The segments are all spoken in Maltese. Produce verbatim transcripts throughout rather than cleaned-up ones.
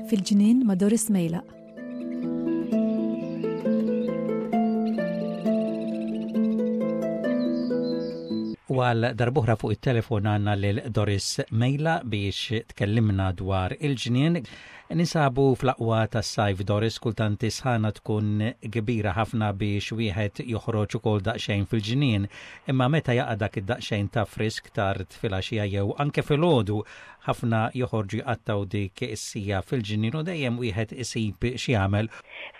Fil-ġnien ma' Doris Mejlaq. U għal darb'oħra fuq it-telefon għandna lil Doris Mejla biex tkellimna dwar il-ġnien. Ninsabu fl-aqwa tas-sajf, Doris, kultant sħana tkun kbira ħafna biex wieħed joħroġ ukoll daqsxejn fil-ġnien, imma meta jaqa' dak id-daqsxejn ta' frisk tard filgħaxija jew anke filgħodu, ħafna joħorġu jqattgħu dik is-siegħa fil-ġnien u dejjem wieħed isib x'jagħmel.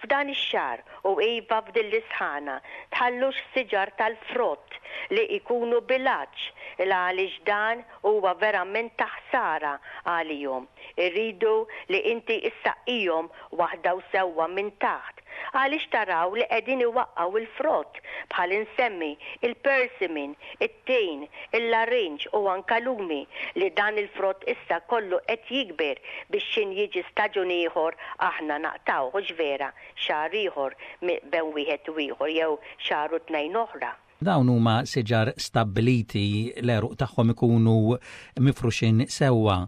F'dan ix-xahar u iva f'din l-isħana, tħallux siġar tal-frott li jkunu bil-għatx, il għaliex dan huwa verament ta' ħsara għalihom. Irridu li inti issaqqihom waħda u sewwa minn taħt, għaliex taraw li qegħdin iwaqqgħu il-frott, bħal insemmi il-persimmon, it-tin, il-larinġ u anka lumi, li dan il-frott issa kollu qed jikber biex xin jiġi staġun ieħor aħna naqtgħu, hux vera, xahar ieħor bejn wieħed u ieħor jew xahar u tnejn oħra. Dawn huma siġar stabbiliti, l-għeruq tagħhom ikunu mifruxin sewwa.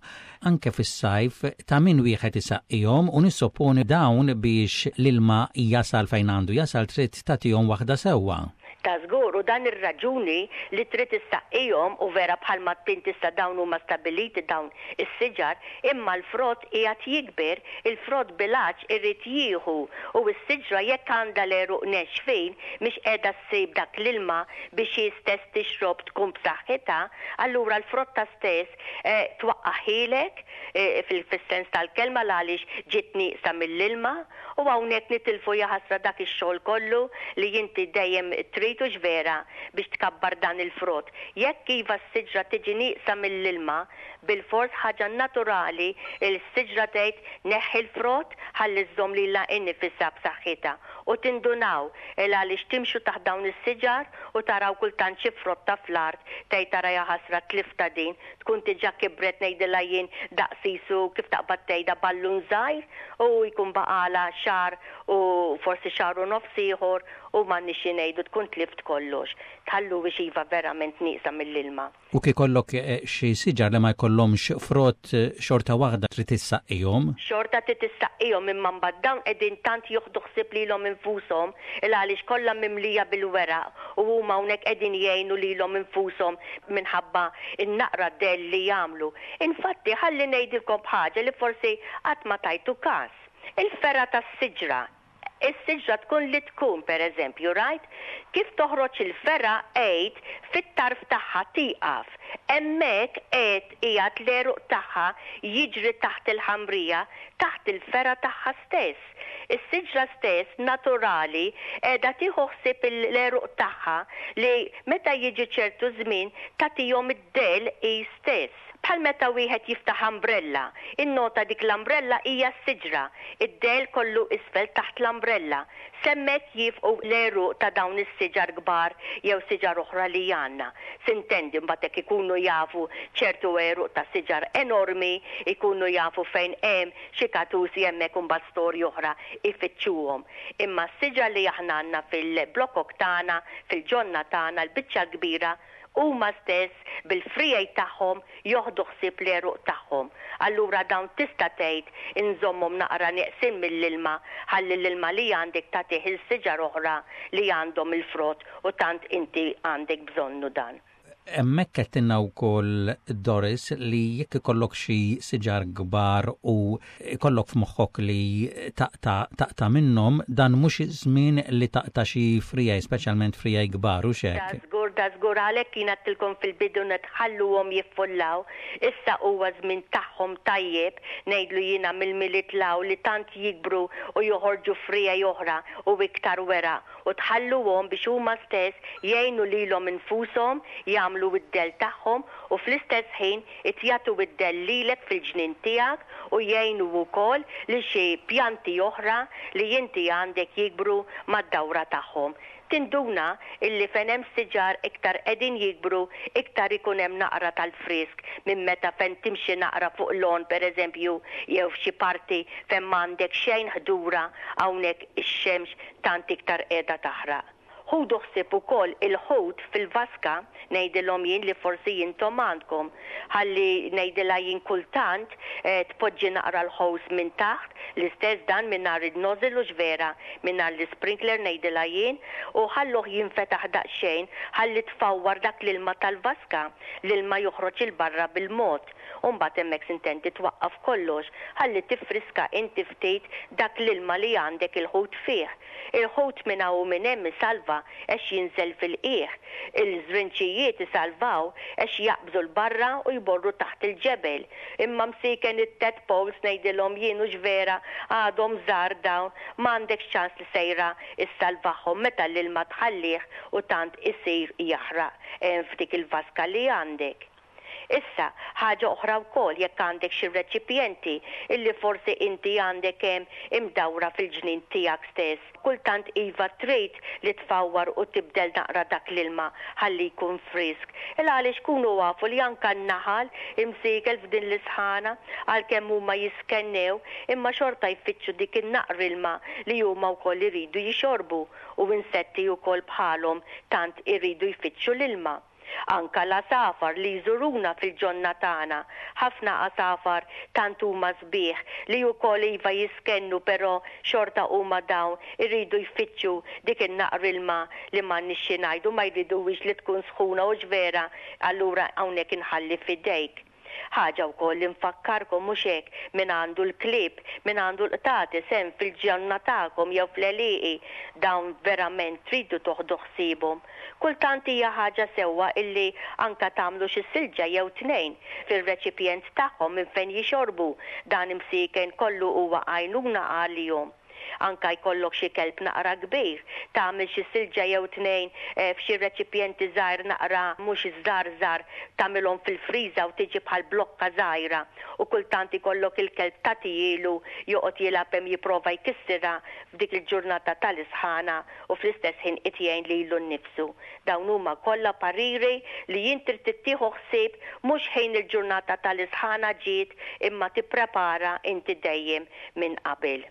Anke fis-sajf ta' min wieħed isaqqihom u nissopponi dawn biex l-ilma jasal fejn għandu jasal trid tagħtihom waħda sewwa. Ta' żgur, u dan ir-raġuni li trid issaqqihom, u vera bħalma tint issa dawn huma stabiliti dawn is-siġar, imma l-frott qiegħed jikber, il-frott bil-għatx irid jieħu, u s-siġra jekk għandha l-għeruq nexfin mhix qiegħda ssib dak l-ilma biex hi stess tixrob tkun b'saħħitha, allura l-frotta stess eh, twaqqaħilek eh, fil-sens tal-kelma għaliex ġiet nieqsa mill-ilma, u hawnhekk nitilfu jaħasra dak ix-xogħol kollu li inti dejjem trid, hux vera, biex tkabbar dan il-frott. Jekk iva s-siġra tiġi nieqsa mill-ilma, bil-fors ħaġa naturali il-siġra tgħid neħħi l-frott ħalli żżomm lilha innifisha b'saħħitha. U tindunaw il għaliex timxu taħt dawn is-siġar u taraw kultant xi frotta fl-art, tgħid tara jaħasra tlifta din, tkun diġà kibret ngħidilha jien daqsisu kif taqbad tgħidha ballun żgħir, u jkun baqala xahar u forsi xahar u nofs ieħor u m'għandniex xi ngħidu tkun tlift kollox. Tħallu biex iva verament nieqsa mill-ilma. U kif ikollok xi siġar li ma jkollhomx frott, xorta waħda trid issaqqihom? Xorta trid issaqqihom, imma mbagħad dawn qegħdin tant joħdu ħsieb lilhom infushom il għaliex kollha mimlija bil-weraq u huma hawnhekk qegħdin jgħinu lilhom infushom minħabba n-naqra dell li jagħmlu. Infatti ħalli ngħidilkom b'ħaġa li forsi qatt ma tajtu każ. Il-fergħa tas-siġra, is-siġra tkun li tkun, per eżempju, rajt? Kif toħroġ il-fergħa għid fit-tarf tagħha tieqaf. Hemmhekk qed qiegħed l-għeruq tagħha jiġri taħt il-ħamrija, taħt il-fergħa tagħha stess. Is-siġra stess naturali qiegħda tieħu ħsieb l-għeruq tagħha li meta jiġi ċertu żmien tagħtihom id-dell hi stess. Bħal meta wieħed jiftaħ umbrella, innota dik l-umbrella hija s-siġra, id-dell kollu isfel taħt l-umbrella. Semmek jifqu l-għeruq ta' dawn is-siġar kbar jew siġar oħra li għandna. Sintendi mbagħad hekk ikunu jafu ċertu għeruq ta' siġar enormi, ikunu jafu fejn hemm xi katusi hemmhekk u mbagħad storja oħra ifittxuhom. Imma s-siġar li aħna għandna fil-blokok tagħna, fil-ġonna tagħna, l-biċċa kbira huma stess bil-frijaj tagħhom joħdu ħsieb l-għeruq tagħhom. Allura dawn tista' tgħid inżommhom naqra neqsin mill-ilma ħalli l-ilma li għandek tagħtih il-siġar oħra li għandhom il-frott u tant inti għandek bżonnu dan. Hemmhekk qed tinna wkoll, Doris, li jekk ikollok xi siġar kbar u ikollok f'moħħok li taqta' taqta' minnhom, dan mhux iż-żmien li taqta' xi frijaj, speċjalment frijaj kbar u x'hekk. Da żgur, da żgur, għalhekk jien għedtilkom fil-bidu nitħalluhom jiffullaw. Issa huwa żmien tagħhom tajjeb, ngħidlu jiena mill-Milied law li tant jikbru u joħorġu frijaj oħra u iktar weraq, u tħalluhom biex huma stess jgħinu lilhom infushom jagħmlu id-dell tagħhom u fl-istess ħin itjatu id-dell lilek fil-ġnien tiegħek u jgħinu wkoll li xi pjanti oħra li inti għandek jikbru mad-dawra tagħhom. Tinduna illi fejn hemm siġar iktar qegħdin jikbru, iktar ikun hemm naqra tal-frisk minn meta fejn timxi naqra fuq l-għon pereżempju jew f'xi parti fejn m'għandek xejn ħdura, hawnhekk ix-xemx tant iktar qiegħda taħraq. Ħudu ħsieb ukoll il-ħut fil-vaska, ngħidilhom jien li forsi intom għandkom. Ħalli ngħidilha jien kultant eh, tpoġġi naqra l-hose minn taħt, l-istess dan mingħajr il-nozzle u vera, mingħajr l-sprinkler ngħidilha jien, u ħalluh jinfetaħ daqsxejn ħalli tfawwar dak l-ilma tal-vaska, l-ilma joħroġ 'il barra bil-mod. U mbagħad hemmhekk s'intendi twaqqaf kollox, ħalli tifriska inti ftit dak l-ilma li għandek il-ħut fih. Il-ħut minn hawn u minn hemm isalva għax jinżel fil-qiegħ. Il-żrinċijiet isalvaw għax jaqbżu 'l barra u jmorru taħt il-ġebel. Imma msiken it-tadpoles ngħidilhom jien u vera għadhom żgħar dawn m'għandekx ċans li sejra issalvahom meta l-ilma tħallih u tant isir jaħraq eh, f'dik il-vaska li għandek. Issa, ħaġa oħra wkoll jekk għandek xi reċipjenti illi forsi inti għandek hemm imdawra fil-ġnien tiegħek stess. Kultant iva trid li tfawwar u tibdel naqra dak l-ilma ħalli jkun frisk. Il għaliex kunu afu li anka n-naħal imsiken f'din l-isħana għalkemm huma jiskennew imma xorta jfittxu dik in-naqra ilma li huma wkoll iridu jixorbu u insetti wkoll bħalhom tant iridu jfittxu l-ilma. Anka l-għasafar li jżuruna fil-ġonna tagħna. Ħafna għasafar tant huma sbieħ li wkoll iva jiskennu però xorta huma dawn iridu jfittxu dik in-naqra ilma li m'għandniex xi ngħidu ma jridux li tkun sħuna u vera, allura hawnhekk inħalli f'idejk. Ħaġa wkoll li nfakkarkom mhux hekk min għandu l-klieb, min għandu l-qtates hemm fil-ġonna tagħkom jew fl-għelieqi dawn verament tridu toħdu ħsiebhom. Kultant hija ħaġa sewwa illi anka tagħmlu xi silġa jew tnejn fil-reċipjent tagħhom minn fejn jixorbu dan imsiken kollu huwa għajnuna għalihom. Anka jkollok xi kelb naqra kbir, tagħmel xi silġa jew tnejn eh, f'xi reċipjenti żgħir naqra mhux żgħar żgħar tagħmilhom fil-friża u tiġi bħal blokka żgħira u kultant ikollok il-kelb tagħtihielu joqgħod jilgħab hemm jipprova jkissirha f'dik il-ġurnata tal-isħana u fl-istess ħin qed jgħin lilu nnifsu. Dawn huma kollha pariri li jien trid tittieħu ħsieb mhux ħin il-ġurnata tal-isħana ġiet imma tipprepara inti dejjem minn qabel.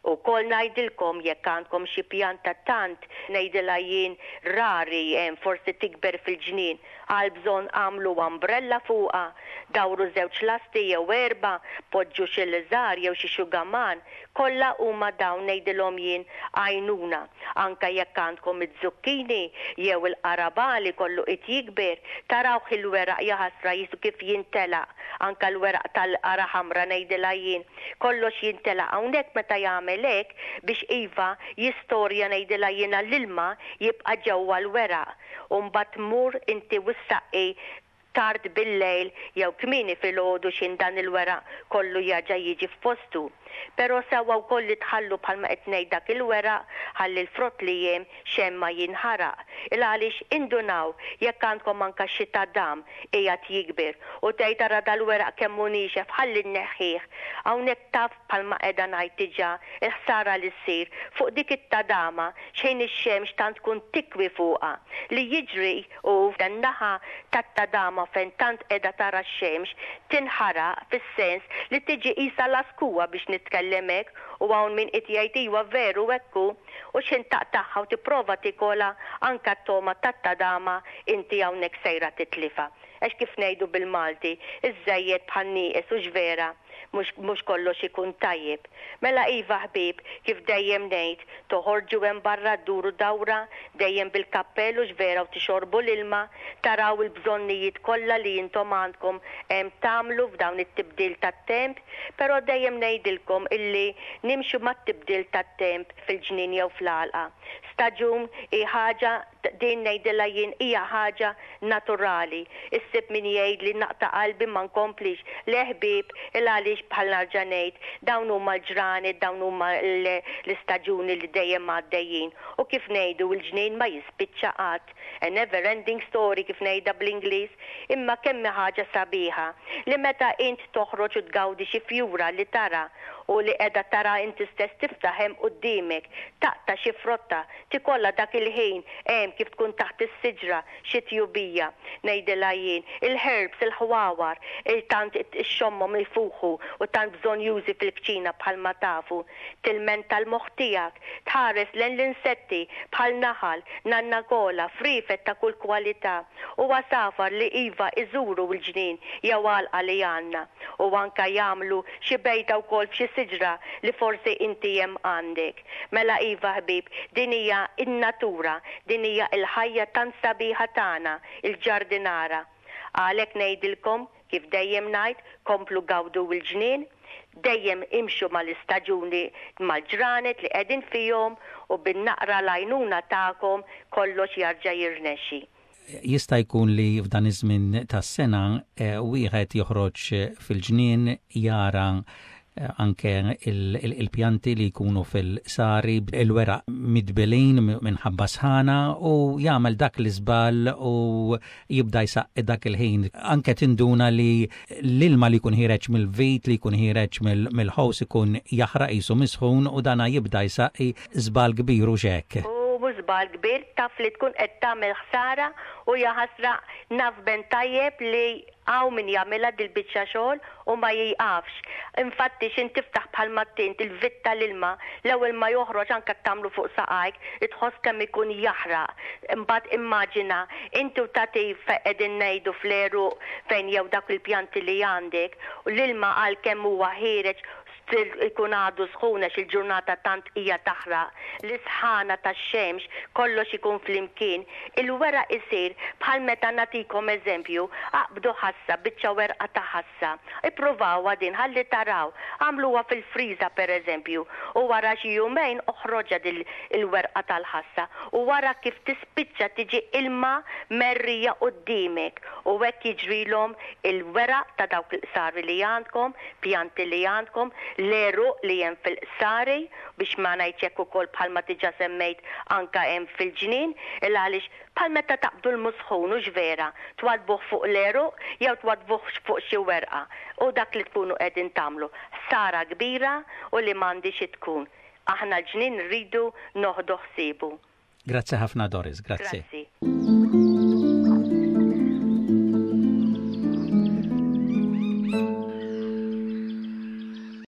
Ukoll ngħidilkom jekk għandkom xi pjanta tant ngħidilha jien rari hemm forsi tikber fil-ġnien għal bżonn għamlu umbrella fuqha, dawru żewġ lasti jew erba, poġġu xi liżar jew xi xugaman, kollha huma dawn ngħidilhom jien għajnuna. Anka jekk għandkom iz-zucchini jew il-qarabagħli kollu qed jikber, tarawh il-weraq jaħasra qisu kif jintelaq, anka l-weraq tal-qara ħamra ngħidilha jien, kollox jintelaq hawnhekk meta jagħmel hekk biex iva jistorja ngħidilha jiena l-ilma jibqa' ġewwa l-weraq. U mbagħad tmur inti u ssaqqi tard bil-lejl jew kmieni filgħodu x'ħin dan il-weraq kollu jerġa' jiġi f'postu. Però sewwa wkoll li tħallu bħalma qed ngħid dak il-weraq ħalli l-frott li hemm xejn ma jinħaraq. Il għaliex indunaw jekk għandkom anka xi tadam qiegħed jikber u tgħid ara dal-weraq kemm hu niexef ħalli nneħħih. Hawnhekk taf bħalma qiegħda ngħid diġà il-ħsara li ssir fuq dik it-tadama xejn ix-xemx tant tkun tikwi fuqha li jiġri u dan-naħa tat-tadama fejn tant qiegħda tara x-xemx tinħaraq fis-sens li tiġi qisha laskuwa biex nitkellem hekk u hawn min qed jgħid iwa veru hekk hu u x'ħin taqtagħha u tipprova tikolha anka t-togħma tat-tadama inti hawnhekk sejra titlifha. Għax kif ngħidu bil-Malti, iż-żejjed bħal nieqes u vera, mhux kollox ikun tajjeb. Mela iva ħbieb, kif dejjem ngħid, toħorġu hemm barra dduru dawra, dejjem bil-kappell u vera u tixorbu l-ilma, taraw il-bżonnijiet kollha li intom għandkom hemm tagħmlu f'dawn it-tibdil tat-temp, però dejjem ngħidilkom illi nimxu mat-tibdil tat-temp fil-ġnien jew fl-għalqa. Staġun hi ħaġa din ngħidilha jien hija ħaġa naturali. Issib min jgħid li naqta' qalbi ma nkomplix. Le ħbieb, il għaliex bħal nerġa' ngħid, dawn huma l-ġranet, dawn huma l-istaġuni li dejjem għaddejjin. U kif ngħidu l-ġnien ma jispiċċa qatt. A never ending story kif ngħidha bl-Ingliż, imma kemm ħaġa sabiħa li meta int toħroġ u tgawdi xi fjura li tara u li qiegħda tara inti stess tiftaħ hemm quddiemek, taqta' xi frotta, tikollha dak il-ħin hemm kif tkun taħt is-siġra xi tjubija. Ngħidilha jien, il-herbs, il-ħwawar, il-tant ixxommhom ifuħu u tant bżonn jużi fil-kċina bħalma tafu. Tilmenta l-moħħ tiegħek, tħares lejn l-insetti Insetti bħal naħal, nannakola, friefet ta' kull kwalità u għasafar li iva iżuru l-ġnien jew għalqa li għandna u anka jagħmlu xi bejta wkoll f'xi siġra li forsi inti hemm għandek. Mela iva ħbieb, din hija in-natura, din hija l-ħajja tant sabiħa tagħna, il-ġardinara. Għalhekk ngħidilkom, kif dejjem ngħid, komplu gawdu l-ġnien, dejjem imxu mal-istaġuni, mal-ġranet li qegħdin fihom u bin-naqra l-għajnuna tagħkom kollox jarġa' jirnexxi. Jista' jkun li f'dan iż-żmien tas-sena eh, wieħed joħroġ fil-ġnien, jara eh, anke il-pjanti li jkunu fil-sari, il-weraq midbilin minħabba sħana, u jagħmel dak l-iżball u jibda jsaqqi dak il-ħin. Anke tinduna li l-ilma li jkun ħiereġ mill-vit, li jkun ħiereġ mill-ħows, ikun jaħraq qisu misħun u dana jibda jsaqqi. Żball kbir u xek. U żball kbir, taf li tkun qed tagħmel ħsara u jaħasra naf ben tajjeb li hawn min jagħmilha dil-biċċa xogħol u ma jiqafx. Infatti xin tiftaħ bħal mattint il-vit tal-ilma, l-ewwel ma joħroġ, anke tagħmlu fuq saqajk, tħoss kemm ikun jaħraq. Imbagħad immaġina inti u tagħti qegħdin ngħidu fl-għeruq fejn jew dak il-pjanti li għandek u l-ilma għal kemm huwa ħiereġ still ikun għadu sħuna il-ġurnata tant hija taħraq, l-isħana tax-xemx, kollox ikun flimkien, il-weraq isir bħal meta, nagħtikom eżempju, aqbdu ħassa, biċċa werqa ta' ħassa, ippruvawha din ħalli taraw, għamluha fil-friża per eżempju, u wara xi jumejn oħroġha dil il-werqa tal-ħassa u wara kif tispiċċa tiġi ilma merrija quddiemek, u hekk jiġrilhom il-weraq ta' dawk il-qsari li għandkom, pjanti li għandkom, l-għeruq li hemm fil-qsari, biex ma ngħidx hekk ukoll bħalma diġà semmejt anka hemm fil-ġnien, il għaliex bħal meta taqbdu l-musħun u vera, twadbuh fuq l-għeruq jew twadbuh fuq xi werqa u dak li tkunu qegħdin tagħmlu. Ħsara kbira u li m'għandix tkun. Aħna l-ġnien rridu noħdu ħsiebu. Grazzi ħafna, Doris, grazzi. Grazzi.